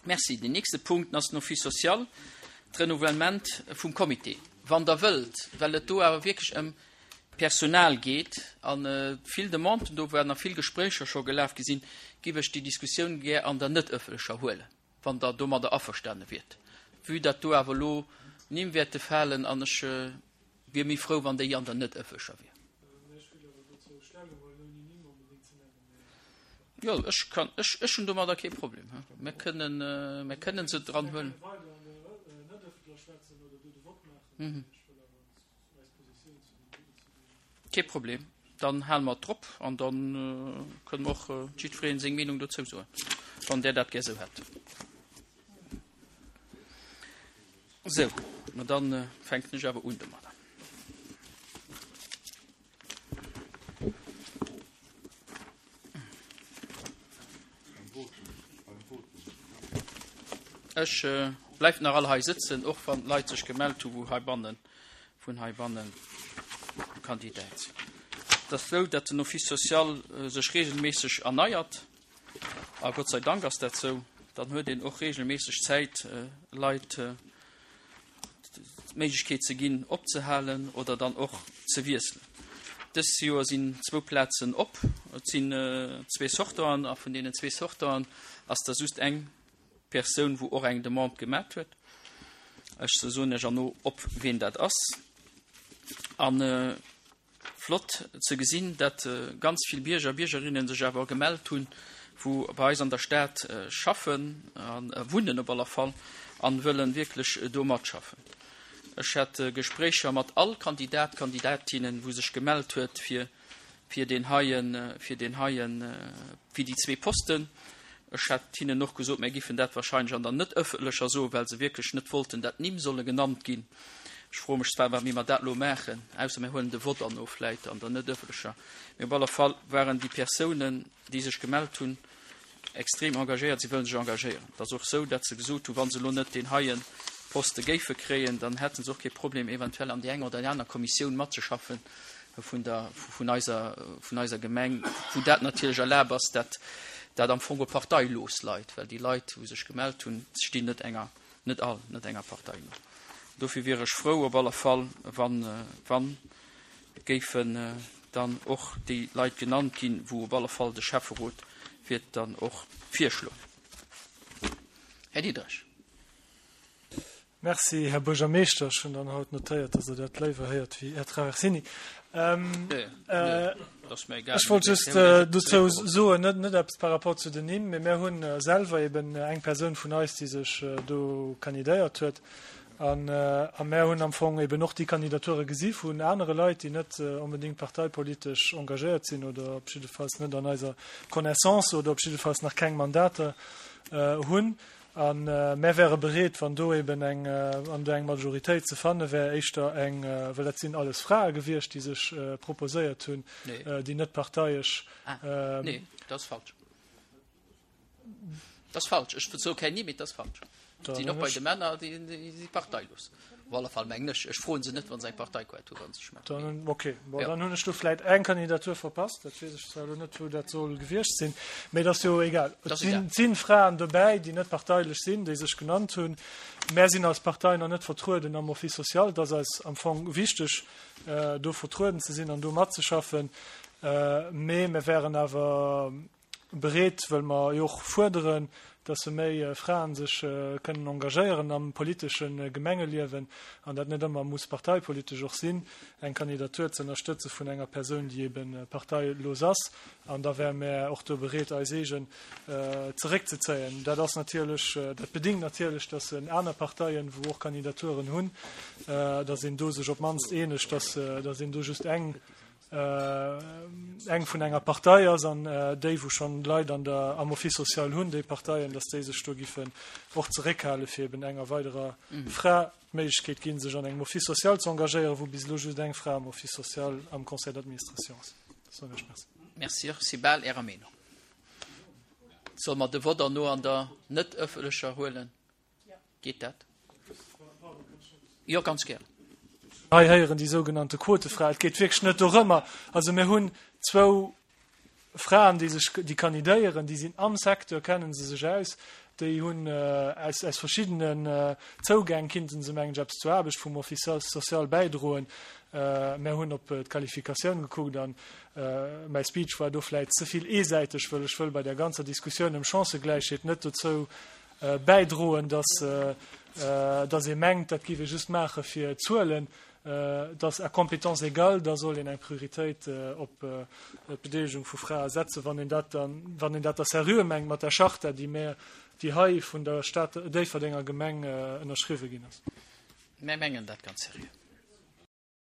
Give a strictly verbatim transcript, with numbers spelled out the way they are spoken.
Merci. Den nächste Punkt ass den Office social, d'Renouvellement vum Comité. Wann Der wëllt, well et do awer wierklech ëm Personal geet a vill Demanden do waren a vill Gespréicher scho gelaf gi sinn, géif ech déi Diskussioun gär an der net ëffentlecher huelen, wann Der domadder averstane wiert. Vue datt do awer elo Nimm wäerte falen an ech wier méi frou, wann déi an der net ëffentlecher wier. Jo, ech kann, ech, ech hunn domadder kee Problem. Mir kënnen, mir kënnen se dran huelen. Kee Problem, dann hale mer et drop an da kënne mer och jiddweree seng Meenung dozou soen, wann Der dat gär esou hätt. Sou, ma dann fänken ech awer un domadder. Ech bleift nach all hei sëtzen, och wann d'Leit sech gemellt hu wou heibannen, vun heibannen Kandidat sinn. Et ass esou, datt den Office social sech regelméisseg erneiert, a Gott sei Dank ass dat esou. Dann huet een och regelméisseg Zäit, Leit d'Méiglechkeet ze ginn, opzehalen oder dann och ze wiesselen. Dës Joer sinn zwou Plazen op. Et sinn zwee Sortanten, a vun deenen zwee Sortanten ass der just eng Persoun, wou och eng Demande gemat huet. Ech soen Iech erno, op wien dat ass. An flott ze gesinn, dat ganz vill Bierger a Biergerinnen sech awer gemellt hunn, wou bei eis an der Stad schaffen a wunnen op aller Fall an wëllen wierklech do matschaffen. Ech hat Gespréicher mat all Kandidat, Kandidatinnen, wou sech gemellt huet fir fir deen heien, fir deen heien, fir déi zwee Posten. Ech hat hinnen och gesot, mär giffen dat wahrscheinlech an der net ëffentlecher soen, well se wierklech net wollten, dat Nimm solle genannt ginn. Ech froe mech zwar, wéi mer dat elo maachen, ausser mir huelen de Vott an of vläit an der net ëffentlecher. Mee op alle Fall waren déi Persounen, déi sech gemellt hunn, extrem engagéiert. Si wëllen sech engagéieren. Et ass och esou, datt se gesot hunn, wa se elo net deen heie Poste géife kréien, dann hätte se och kee Problem, eventuell an déi eng oder déi aner Kommissioun matzeschaffen vun der, vun eiser, vun eiser Gemeng, wou dat natierlech erlaabt ass, dat dat am Fong och parteilos leit, well déi Leit, wou sech gemellt hunn, stinn net enger, net all, net enger Partei no. Dofir wier ech frou op alle Fall, wann, wann géifen dann och déi Leit genannt ginn, wou op alle Fall de Schäfferot wäert dann och virschloen. Här Diderich. Merci, Här Buergermeeschter. Ech hunn dann haut notéiert, dass Der dat léiwer héiert wéi Här Traversini. Ech wollt just dozou soen, net, net eppes par rapport zu den Nimm, mee mir hunn selwer eben eng Persoun vun eis, déi sech do kandidéiert huet. An, a mär hunn am Fong eben och déi Kandidature gesi vun anere Leit, déi net onbedéngt parteipolitesch engagéiert sinn oder op jiddefalls net an eiser Connaissance oder op jiddefalls nach keng Mandater hunn. A mär wäre bereet, wann do eben eng, wann do eng Majoritéit ze fanne wär, éischter eng, well dat sinn alles Frae gewiescht, déi sech proposéiert hunn, déi net parteiesch. Ah, nee, dat ass falsch. Dat ass falsch. Ech soe keng Nimm, mee dat ass falsch. Et sinn och bei de Männer, déi si parteilos. Op alle Fall mengen ech. Ech froe se net, wa se eng Parteikaart hu wa se sech melden. Dann, okay. Bon, dann hunn ech do vläit eng Kandidatur verpasst. Dat weess ech zwar elo net, wou dat soll gewiescht sinn, mee et ass jo egal. Et sinn, et sinn Fraen dobäi, déi net parteilech sinn, déi sech genannt hunn. Mär sinn als Partei nach net vertrueden am Office social. Et ass eis am Fong wichteg, do vertrueden ze sinn an do matzeschaffen. Mee mir wären awer bereet, wëll mer jo och fuerderen, dass méi Fraen sech kënnen engagéieren am politesche Gemengeliewen an dat net ëmmer muss parteipolitesch och sinn, eng Kandidatur ze ënnerstëtze vun enger Persoun, déi ebe parteilos ass. An da wäre mär och do bereet, eis eegen zeréckzezéien. Dat ass natierlech, dat bedingt natierlech, dass en aner Parteien, wou och Kandidaturen hunn, dass een do sech op d'mannst eenegt, dass, dass een do just eng, eng vun enger Partei ass an déi, wou schonn Leit an der, am Office social hunn, déi Parteien, dass déi sech do giffen och zeréckhale fir eben enger weiderer Fra d'Méiglechkeet ginn, sech an engem Office social ze engagéieren, wou bis elo just eng Fra am Office social am Conseil d'administration ass. Soen ech Merci. Merci. Ech si bal Ärer Meenung. Solle mer de Vott erno an der net ëffentlecher huelen? Geet dat? Jo, ganz gär. Hei héieren déi sougenannte Quotefra. Et geet wierklech net dorëmmer. Also mir hunn zwou Fraen, déi sech, déi kandidéieren, déi sinn am Secteur, kennen se sech aus. Déi hunn aus, aus verschiddenen Zougäng kinnten se, mengen ech, eppes zur Aarbecht vum Office social bäidroen. Mär hunn op d'Qualifikatioun gekuckt an mäi Speech war do vläit ze vill eesäiteg, wëll ech wëll bei där ganzer Diskussioun ëm Chancëgläichheet net dozou bäidroen, dass, dass ee mengt, dat géif ee just maache fir Zuelen. Dass à compétences égales, da soll een eng Prioritéit op d'Bedeelegung vu Frae setzen, wann een dat dann, wann een dat da seriö mengt mat der Charta, déi mär, déi hei vun der Stad Déifferdenger Gemeng ënnerschriwwe ginn ass. Mär mengen dat ganz seriö.